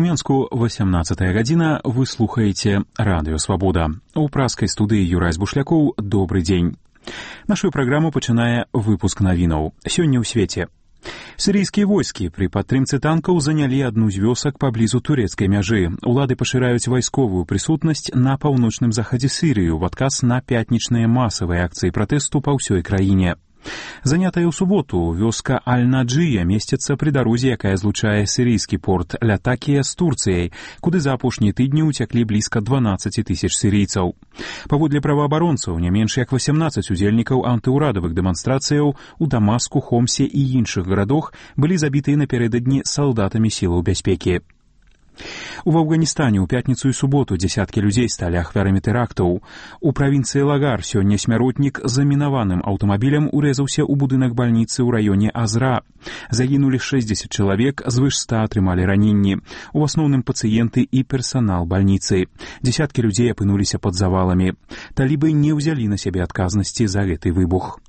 Мінску 18 гадзіна, вы слухаеце Радыё Свабода. У праскай студыі Юрай Бушлякоў, добры дзень. Нашу праграму пачынае выпуск навінаў. Сёння ў свеце. Сірыйскія войскі пры падтрымцы танкаў занялі адну з вёсак паблізу турэцкай мяжы. Улады пашыраюць вайсковую прысутнасць на паўночным захадзе Сірыі ў адказ на пятнічныя масавыя акцыі пратэсту па ўсёй краіне. Занятая ў суботу, вёска Аль-Наджыя месціцца пры дарозе, якая злучае сірыйскі порт Лятакія з Турцыяй, куды за апошнія тыдні ўцяклі блізка 12 тысяч сірыйцаў. Паводле праваабаронцаў, не менш як 18 удзельнікаў антыўрадавых дэманстрацыяў у Дамаску, Хомсе і іншых гарадах былі забітыя напярэдадні салдатамі сілаў бяспекі. У Афганістане ў пятніцу і суботу дзесяткі людзей сталі ахвярамі тэрактаў. У правінцыі Лагар сёння смяротнік замінаваным аўтамабілем урэзаўся ў будынак бальніцы ў раёне Азра. Загінулі 60 чалавек, звыш 100 атрымалі раненні. У асноўным пацыенты і персанал бальніцы. Дзесяткі людзей апынуліся пад заваламі. Талібы не ўзялі на сябе адказнасці за гэты выбух.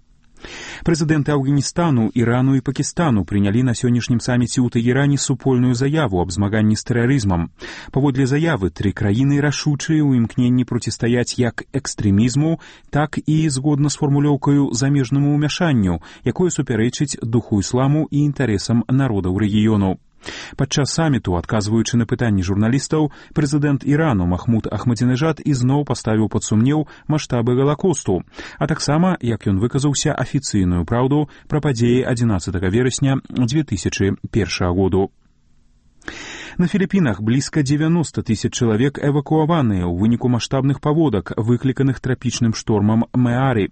Прэзідэнты Афганістану, Ірану і Пакістану прынялі на сённяшнім саміце ў Тэгеране супольную заяву аб змаганні з тэрарызмам. Паводле заявы, тры краіны рашучыя ў імкненні процістаяць як экстрэмізму, так і згодна з фармулёўкаю замежнаму ўмяшанню, якое супярэчыць духу ісламу і інтарэсам народаў рэгіёну. Падчас саміту, адказваючы на пытанні журналістаў, прэзідэнт Ірану Махмуд Ахмадзінежад ізноў паставіў пад сумнеў маштабы Галакосту, а таксама, як ён выказаўся, афіцыйную праўду пра падзеі 11 верасня 2001 году. На Філіпінах блізка 90 тысяч чалавек эвакуаваныя ў выніку маштабных паводак, выкліканых трапічным штормам Мэары.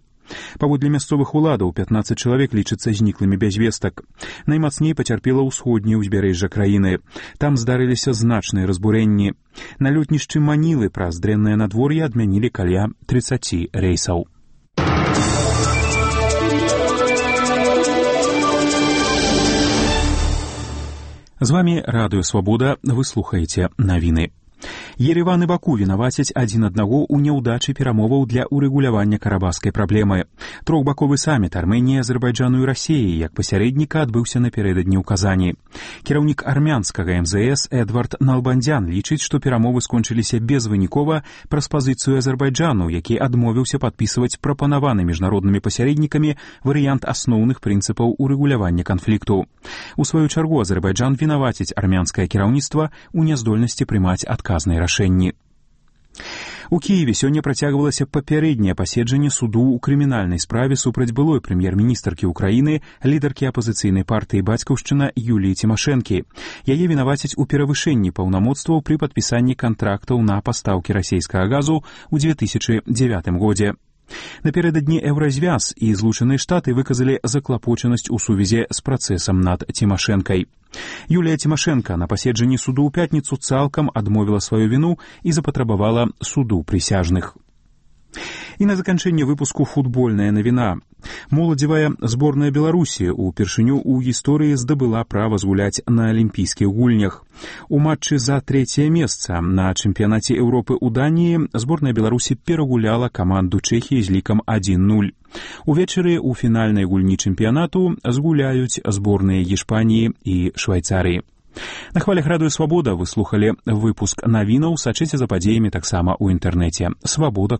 Паводле мясцовых уладаў 15 чалавек лічацца зніклымі без вестак. Наймацней пацярпела ўсходняе ўзбярэжжа краіны. Там здарыліся значныя разбурэнні. На лётнішчы Манілы праз дрэннае надвор'е адмянілі каля 30 рэйсаў. З вамі Радыё Свабода, вы слухаеце навіны. Ереван і Баку вінавацяць адзін аднаго ў няўдачы перамоваў для ўрэгулявання карабахскай праблемы. Трохбаковы саміт Арменіі, Азербайджану і Расіі як пасярэдніка адбыўся напярэдадні ў Казані. Кіраўнік армянскага МЗС Эдвард Налбандзян лічыць, што перамовы скончыліся безвынікова праз пазіцыю Азербайджану, які адмовіўся падпісваць прапанаваны міжнароднымі пасярэднікамі варыянт асноўных прынцыпаў урэгулявання канфлікту. У сваю чаргу Азербайджан вінаваціць армянскае кіраўніцтва ў няздольнасці прымаць адказныя рашэнні. У Кіеве сёння працягвалася папярэдняе паседжанне суду ў крымінальнай справе супраць былой прэм'ер-міністркі ўкраіны, лідаркі апазіцыйнай партыі «Бацькаўшчына» Юліі Цімашэнкі. Яе вінавацяць у перавышэнні паўнамоцтваў пры падпісанні кантрактаў на пастаўкі расійскага газу ў 2009 годзе. Напярэдадні Еўразвяз і Злучаныя Штаты выказалі заклапочанасць у сувязі з працэсам над Цімашэнкай. Юлія Цімашэнка на паседжанні суду ў пятніцу цалкам адмовіла сваю віну і запатрабавала суду прысяжных. І на заканчэнне выпуску футбольная навіна. Моладзевая зборная Беларусі упершыню ў гісторыі здабыла права згуляць на алімпійскіх гульнях. У матчы за трэцяе месца на чэмпіянаце Еўропы ў Даніі зборная Беларусі перагуляла каманду Чэхіі з лікам 1-0. Увечары ў фінальнай гульні чэмпіянату згуляюць зборныя Іспаніі і Швайцарыі. На хвалях Радыё Свабода вы слухалі выпуск навінаў, сачыце за падзеямі таксама ў інтэрнэце. Свабода.